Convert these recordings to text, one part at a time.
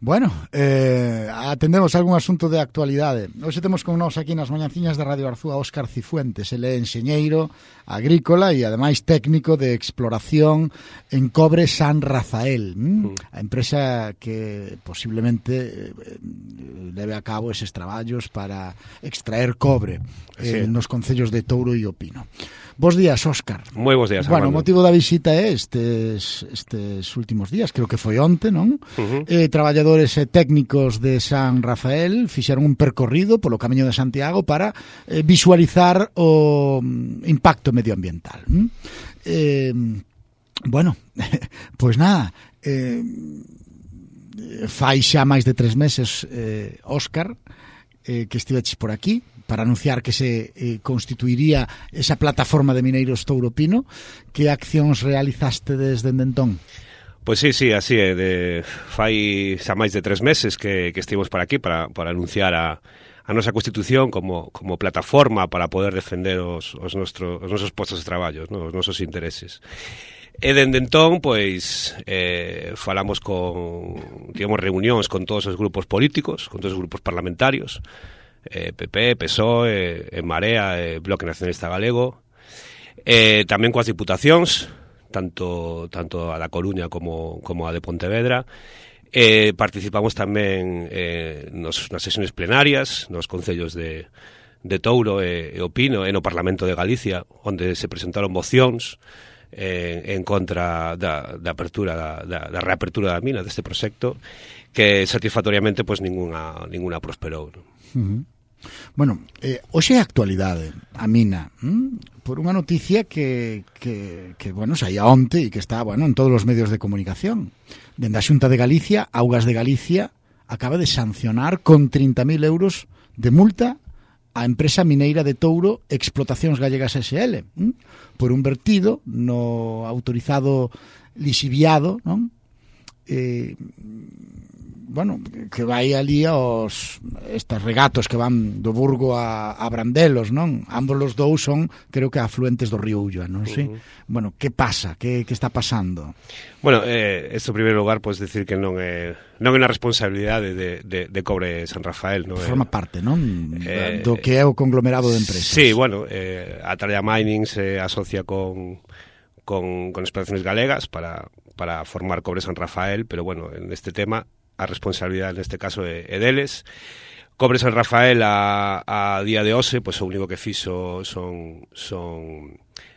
Bueno, atendemos algún asunto de actualidade. Hoxe temos con nós aquí nas mañanciñas de Radio Arzúa Óscar Cifuentes. Ele é enxeñeiro agrícola e ademais técnico de exploración en Cobre San Rafael, a empresa que posiblemente leve a cabo eses traballos para extraer cobre nos concellos de Touro e O Pino. Bos días, Óscar. Moi bos días, Bueno, Armando. o motivo da visita é estes últimos días, creo que foi onte, non? Traballadores técnicos de San Rafael fixeron un percorrido polo Camiño de Santiago para visualizar o impacto medioambiental. Bueno, pois nada, fai xa máis de 3 meses, Óscar, que estiveches por aquí para anunciar que se constituiría esa plataforma de mineiros Touro Pino. Que accións realizaste desde entón? Pois sí, así é. Fai xa máis de 3 meses que estivemos por aquí para anunciar a nosa Constitución como plataforma para poder defender os nosos postos de traballo, os nosos intereses. E dende entón, pois, falamos tivemos reunións con todos os grupos políticos, con todos os grupos parlamentarios, PP, PSOE, Marea, Bloque Nacionalista Galego, tamén coas diputacións, tanto a da Coruña como a de Pontevedra. Participamos tamén nas sesións plenarias, nos concellos de Touro e O Pino, e no Parlamento de Galicia, onde se presentaron mocións en contra da reapertura da mina deste proxecto, que satisfactoriamente pois ninguna prosperou, non? Bueno, hoxe é actualidade a mina, por unha noticia que bueno, saía onte e que está, bueno, en todos os medios de comunicación. Dende a Xunta de Galicia, Augas de Galicia acaba de sancionar con 30.000 euros de multa a empresa mineira de Touro Explotacións Gallegas S.L. Por un vertido no autorizado lixiviado, non? Bueno, que vai ali estes regatos que van do Burgo a Brandelos, non? Ambos os dous son, creo que, afluentes do río Ulla, non sei? Bueno, que pasa? Que está pasando? Bueno, isto en primeiro lugar, podes decir que non é unha responsabilidade de Cobre San Rafael, non? Forma parte, non? Do que é o conglomerado de empresas. Sí, bueno, Atalaya Mining se asocia con Explotaciones Galegas para formar Cobre San Rafael, pero bueno, en este tema a responsabilidade neste caso é deles. Cobre San Rafael a día de hoxe, pois o único que fixo son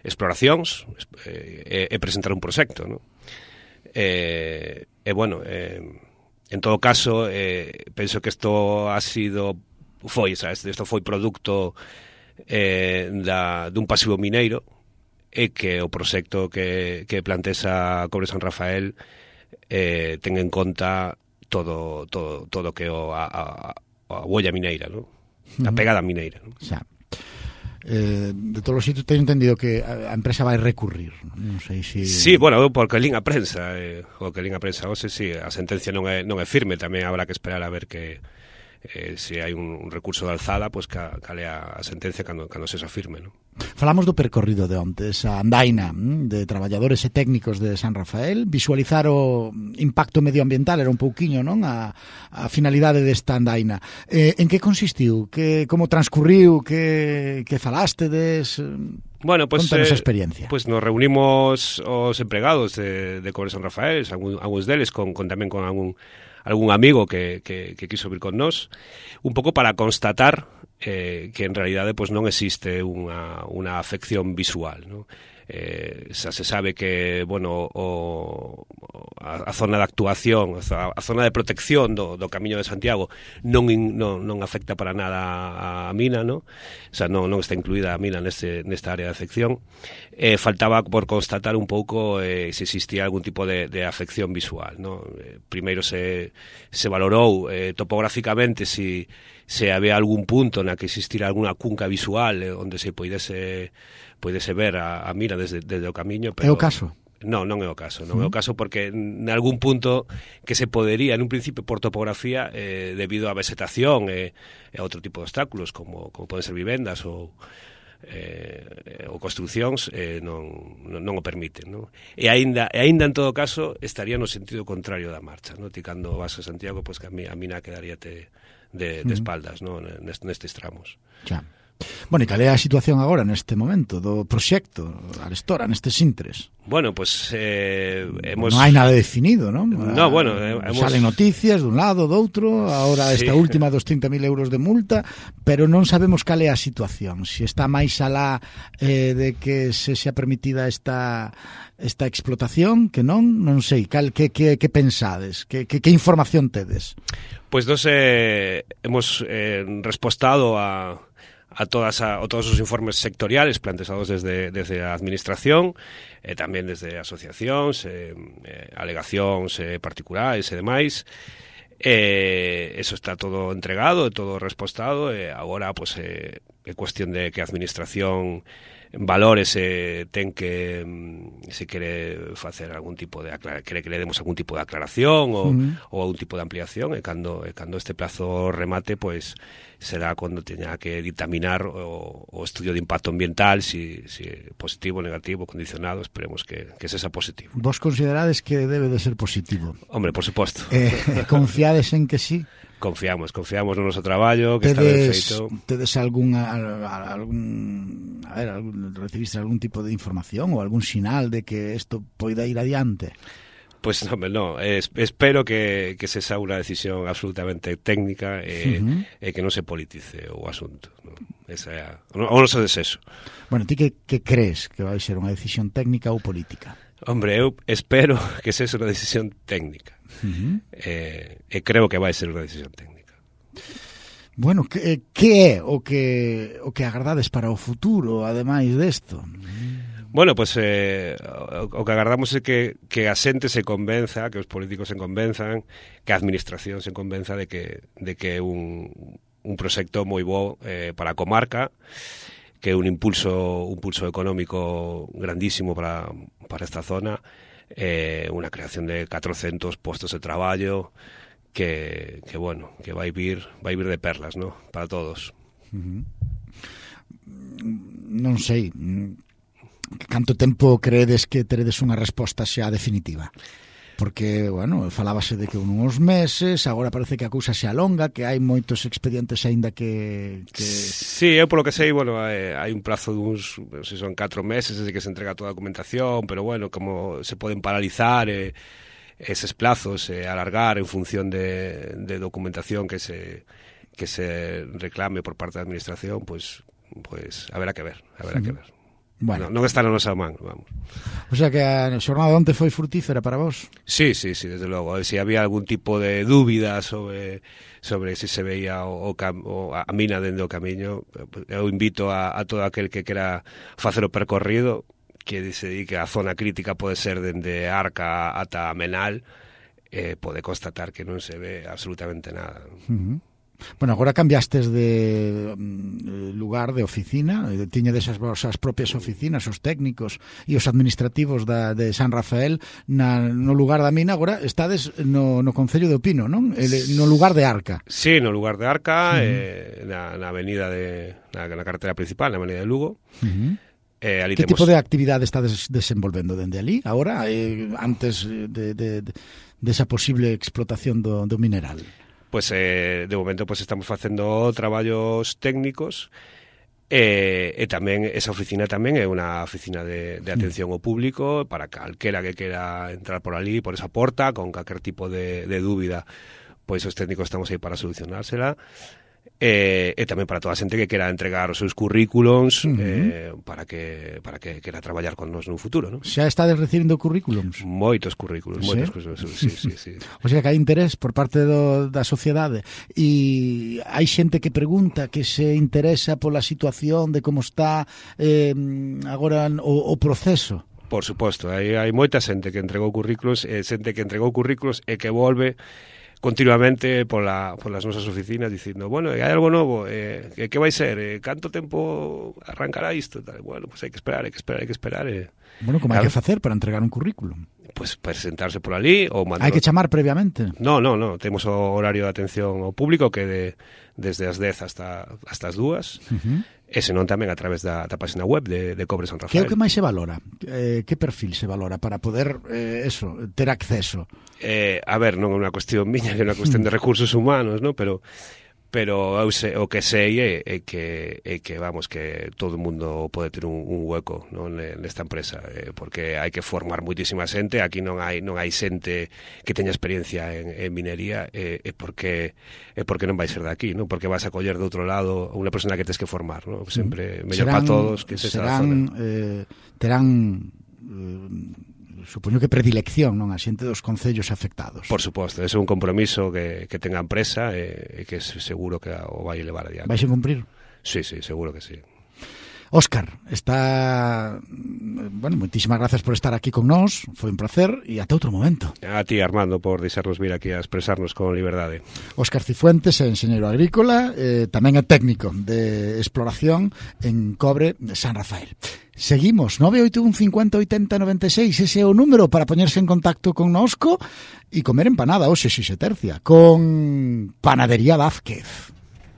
exploracións e presentar un proxecto, non? Bueno, en todo caso, penso que isto foi producto dun pasivo mineiro, e que o proxecto que plantexa Cobre San Rafael ten en conta todo que a huella mineira, ¿no? A pegada mineira, ¿no? Xa. De todos os sitios teño entendido que a empresa vai recurrir, non sei se... Sí, bueno, porque lín a prensa, hoxe sí, a sentencia non é firme, tamén habrá que esperar a ver que se hai un recurso de alzada, pois cal é a sentencia cando se afirme, non? Falamos do percorrido de onte, esa andaina de traballadores e técnicos de San Rafael. Visualizar o impacto medioambiental era un pouquiño, non? A finalidade desta andaina. En que consistiu? Como transcurriu? Que falastedes? Bueno, pues, contanos a experiencia. Pues nos reunimos os empregados de Cobre San Rafael, algúns deles, tamén con algún amigo que quiso vir con nós, un pouco para constatar que en realidade pues, non existe unha afección visual, ¿no? Xa se sabe que, bueno, a zona de actuación, a zona de protección do Camiño de Santiago non afecta para nada a mina, ¿no? O sea, non está incluída a mina nesta área de afección. Faltaba por constatar un pouco se existía algún tipo de afección visual, ¿no? Primeiro se valorou topográficamente se había algún punto na que existira alguna cunca visual onde se poidese ver a mina desde o camiño, pero... É o caso? Non é o caso, non é o caso porque en algún punto que se podería, en un principio por topografía, debido á vegetación e a outro tipo de obstáculos como poden ser vivendas ou ou construcións non o permiten, non? E aínda en todo caso estaría no sentido contrario da marcha, non? Ti cando vas a Santiago, pois que a mina quedaríate de espaldas, non? Nestes tramos. Xa. Bueno, e cal é a situación agora neste momento do proxecto Arestora, nestes intres? Bueno, pues non hai nada definido, non? No, bueno, salen noticias dun lado, do outro, agora esta última dos 30.000 euros de multa, pero non sabemos cal é a situación, se está máis alá de que se xa permitida esta explotación, que non sei, que pensades, que información tedes? Pois nos hemos respostado a todos os informes sectoriales planteados desde a Administración, tamén desde asociacións, alegacións particulares e demais. Eso está todo entregado, todo respostado, agora pues, é cuestión de que a Administración valore se ten que se quere facer algún tipo de quere que le demos algún tipo de aclaración ou algún tipo de ampliación, e cando este plazo remate, pois será cando teña que dictaminar o estudio de impacto ambiental, si positivo, negativo, condicionado. Esperemos que sexa positivo. Vos considerades que debe de ser positivo? Hombre, por suposto. Confiades en que sí? Confiamos no noso traballo, que está ben feito. Tedes recibiste algún tipo de información ou algún sinal de que isto poida ir adiante? Pues no, espero que se xa unha decisión absolutamente técnica e que non se politice o asunto, ¿no? Esa é o noso desexo. Bueno, ti que crees que vai ser unha decisión técnica ou política? Hombre, eu espero que sexa unha decisión técnica. E creo que vai ser unha decisión técnica. Bueno, que é o que agardades para o futuro, ademais desto? Bueno, pues o que agardamos é que a xente se convenza, que os políticos se convenzan, que a Administración se convenza de que é un proxecto moi bo para a comarca, que é un impulso económico grandísimo para esta zona, unha creación de 400 postos de traballo que vai vir de perlas, ¿no? Para todos. Non sei, canto tempo creedes que teredes unha resposta xa definitiva? Porque, bueno, falábase de que uns meses, agora parece que a cousa se alonga, que hai moitos expedientes aínda que... Sí, eu polo que sei, bueno, hai un plazo duns, non sei, son 4 meses desde que se entrega toda a documentación, pero, bueno, como se poden paralizar eses plazos, alargar en función de documentación que se reclame por parte da Administración, pues haberá que ver. Bueno, non está na nosa man, vamos. O sea que a xornada onte foi frutífera para vos? Sí, desde logo. Se había algún tipo de dúbida sobre se se veía a mina dende o camiño, eu invito a todo aquel que quera facer o percorrido, que se dedique a zona crítica, pode ser dende Arca ata Menal, pode constatar que non se ve absolutamente nada. Bueno, agora cambiastes de lugar, de oficina, tiñedes as vosas propias oficinas, os técnicos e os administrativos de San Rafael no lugar da mina. Agora estades no Concello de Opino, non? No lugar de Arca. Sí, no lugar de Arca, na avenida na carretera principal, na avenida de Lugo. Que tipo de actividade estades desenvolvendo dende ali, agora, antes de esa posible explotación do mineral? Pues de momento pues estamos facendo traballos técnicos e tamén esa oficina tamén é unha oficina de atención ao público para calquera que quera entrar por ali, por esa porta, con calquer tipo de dúbida, pois os técnicos estamos aí para solucionársela. E tamén para toda a xente que quera entregar os seus currículums para que quera traballar con nos nun futuro, non? Xa estades recibindo currículums? Moitos currículums, sí. O sea que hai interés por parte da sociedade, e hai xente que pregunta, que se interesa pola situación de como está agora o proceso. Por suposto, hai moita xente que entregou currículos, xente que entregou currículos e que volve continuamente polas nosas oficinas dicindo, bueno, hai algo novo, que vai ser, canto tempo arrancará isto? Bueno, pues hai que esperar. Bueno, como hai que facer para entregar un currículum? pues presentarse por ali ou mandar... Hai que chamar previamente? No, temos o horario de atención ao público que desde as 10 hasta as 2, e senón tamén a través da página web de Cobre San Rafael. Que é o que máis se valora? Que perfil se valora para poder ter acceso? A ver, non é unha cuestión miña, é unha cuestión de recursos humanos, ¿no? Pero eu o que sei é que vamos, que todo o mundo pode ter un hueco, ¿no? Nesta empresa, porque hai que formar moitísima xente. Aquí non hai xente que teña experiencia en minería, porque non vai ser de aquí, ¿no? Porque vas a coller de outro lado unha persona que tens que formar, ¿no? Sempre mellor para todos que se da zona. Terán supoño que predilección, non, a xente dos concellos afectados. Por suposto, ese é un compromiso que ten a empresa e que seguro que o vai elevar adiante. Vais a cumprir? Sí, seguro que sí. Óscar, moitísimas gracias por estar aquí con nós, foi un placer e ata outro momento. A ti, Armando, por deixarnos vir aquí a expresarnos con liberdade. Óscar Cifuentes é enxeñeiro agrícola, tamén é técnico de exploración en Cobre San Rafael. Seguimos, 981 50 80 96, ese é o número para poñerse en contacto con nosco e comer empanada, hoxe si se tercia, con Panadería Vázquez.